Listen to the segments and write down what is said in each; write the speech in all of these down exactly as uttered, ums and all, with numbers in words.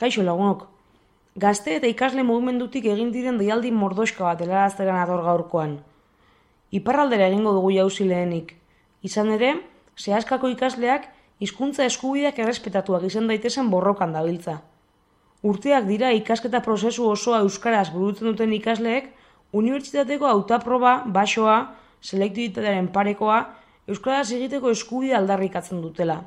Kaixo lagunok, gazte eta ikasle mugimendutik egin diren deialdi mordoxka bat helaraztera nator gaurkoan. Iparraldera egingo dugu jauzi lehenik. Izan ere, sehaskako ikasleak hizkuntza eskubideak errespetatuak izan daitezen borrokan dabiltza. Urteak dira ikasketa prozesu osoa euskaraz burutzen duten ikasleek unibertsitateko hautaproba, baxoa, selektibitatearen parekoa, euskaraz egiteko eskubidea aldarrikatzen dutela.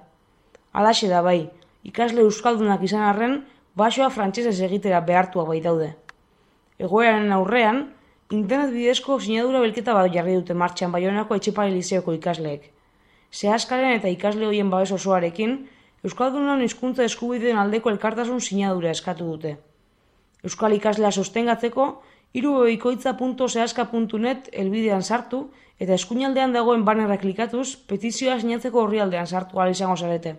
Halaxe da bai, ikasle euskaldunak izan arren, baxoa frantsesez egitera behartuak baitaude. Egoeraren aurrean, internet bidezko sinadura belketa bat jarri dute martxan Baionako Etxepare Lizeoko ikasleek. Sehaskaren eta ikasle horien babes osoarekin, euskaldunon hizkuntza eskubideen aldeko elkartasun sinadura eskatu dute. Euskal ikaslea sostengatzeko, irubebikoitza puntu sehaska puntu net helbidean sartu eta eskuinaldean dagoen bannerra klikatuz petizioa sinatzeko orrialdean sartu ahal izango zarete.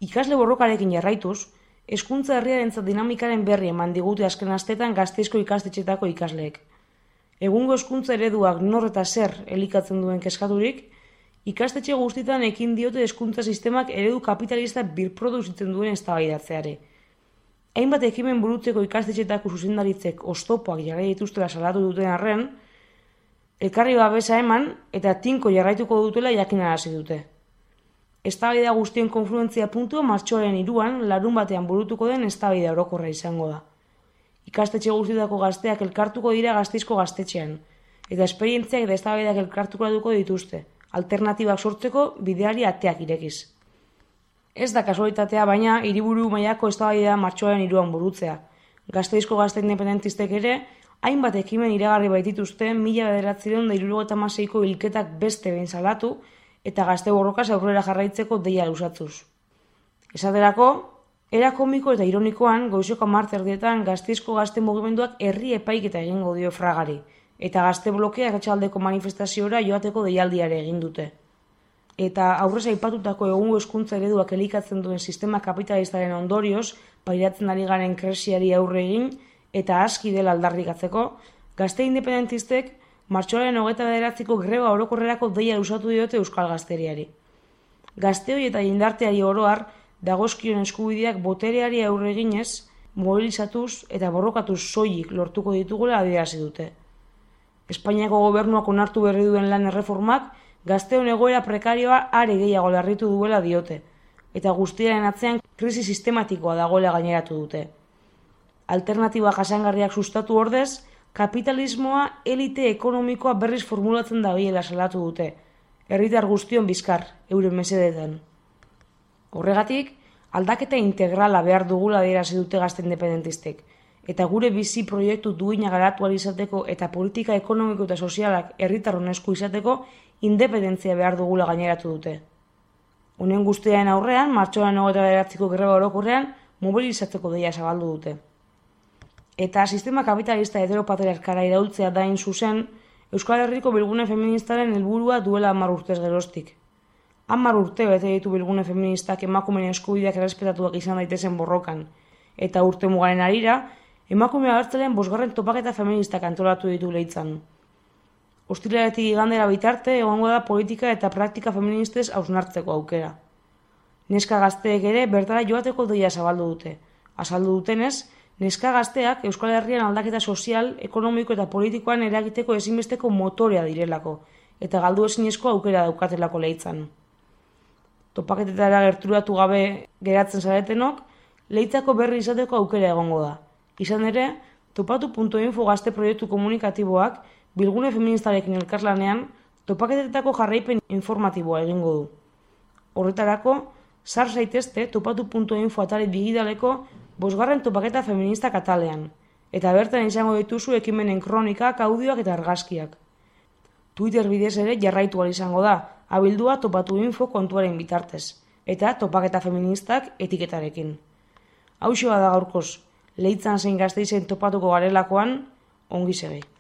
Ikasle borrokarekin jarraituz, hezkuntza herriarentzat dinamikaren berri eman digute azken astetan Gasteizko ikastetxetako ikasleek. Egungo hezkuntza ereduak nor eta zer elikatzen duen kezkaturik, ikastetxe guztietan ekin diote hezkuntza sistemak eredu kapitalista birproduzitzen duen eztabaidatzeari. Hainbat ekimen burutzeko ikastetxetako zuzendaritzek oztopoak jarrai dituztela salatu duten arren, elkarri babesa eman eta tinko jarraituko dutela jakinarazi dute. Eztabaida guztien konfluentzia puntua martxoaren hiruan larun batean burutuko den eztabaida orokorra izango da. Ikastetxe guztietako gazteak elkartuko dira Gasteizko gaztetxean, eta esperientziak eta eztabaidak elkartuko dituzte, alternatibak sortzeko bideari ateak irekiz. Ez da kasualitatea, baina hiriburu mailako eztabaida martxoaren hiruan burutzea. Gasteizko gazte independentistek ere, hainbat ekimen iragarri baitituzte mila bederatziehun eta hirurogeita hamaseiko hilketak beste behin salatu, eta gazte borrokaz aurrera jarraitzeko deia luzatzuz. Esaterako, era komiko eta ironikoan, goizeko hamar erdietan Gasteizko gazte mugimenduak herri epaiketa egingo dio fragari, eta gazte blokeak atxaldeko manifestaziora joateko deialdiare egin dute. Eta aurrez aipatutako egungo hezkuntza ereduak elikatzen duen sistema kapitalistaren ondorioz, pairatzen ari garen krisiari aurre egin, eta aski dela aldarrikatzeko, gazte independentistek martxoaren hogeita bederatziko greba orokorrerako deia luzatu diote euskal gazteriari. Gazteoi eta jendarteari oroar dagozkion eskubideak botereari aurre eginez, mobilizatuz eta borrokatuz soilik lortuko ditugula adierazi dute. Espainiako gobernuak onartu berri duen lan erreformak gazteon egoera prekarioa are gehiago larritu duela diote, eta guztiaren atzean krisi sistematikoa dagoela gaineratu dute. Alternatiba jasangarriak sustatu ordez, kapitalismoa elite ekonomikoa berriz formulatzen dabilela salatu dute, herritar guztion bizkar, euren mesedetan. Horregatik, aldaketa integrala behar dugula adierazi dute gazte independentistek, eta gure bizi proiektu duina garatu ahal izateko eta politika ekonomiko eta sozialak herritar honesku izateko independentzia behar dugula gaineratu dute. Honen guztiaren aurrean, martxoaren hogeita bederatziko greba orokorrean mobilizatzeko deia zabaldu dute. Eta sistema kapitalista heteropatriarkara iraultzea da hain zuzen, Euskal Herriko bilgune feministaren helburua duela hamar urtez geroztik. Hamar urte bete ditu bilgune feministak emakumeen eskubideak errespetatuak izan daitezen borrokan, eta urte mugaren harira, emakume abertzalean bosgarren topaketa feministak antolatu ditu leitzan. Ostiraletik igandera bitarte egongo da politika eta praktika feministez hausnartzeko aukera. Neska gazteek ere bertara joateko deia zabaldu dute. Azaldu dutenez, neska gazteak Euskal Herrian aldaketa sozial, ekonomiko eta politikoan eragiteko ezinbesteko motorea direlako, eta galdu ezinezko aukera daukatelako leitzan. Topaketetara gerturatu gabe geratzen zaretenok, leitzako berri izateko aukera egongo da. Izan ere, topatu puntu info gazte proiektu komunikatiboak bilgune feministarekin elkarlanean topaketetako jarraipen informatiboa egingo du. Horretarako, sar zaitezte topatu puntu info atari digidaleko bosgarren topaketa feminista katalean, eta bertan izango dituzu ekimenen kronikak, audioak eta argazkiak. Twitter bidez ere jarraitu ahal izango da, abildua topatu info kontuaren bitartez, eta topaketa feministak etiketarekin. Hauxe da gaurkoz, leitzan zein Gasteizen topatuko garelakoan, ongi segi.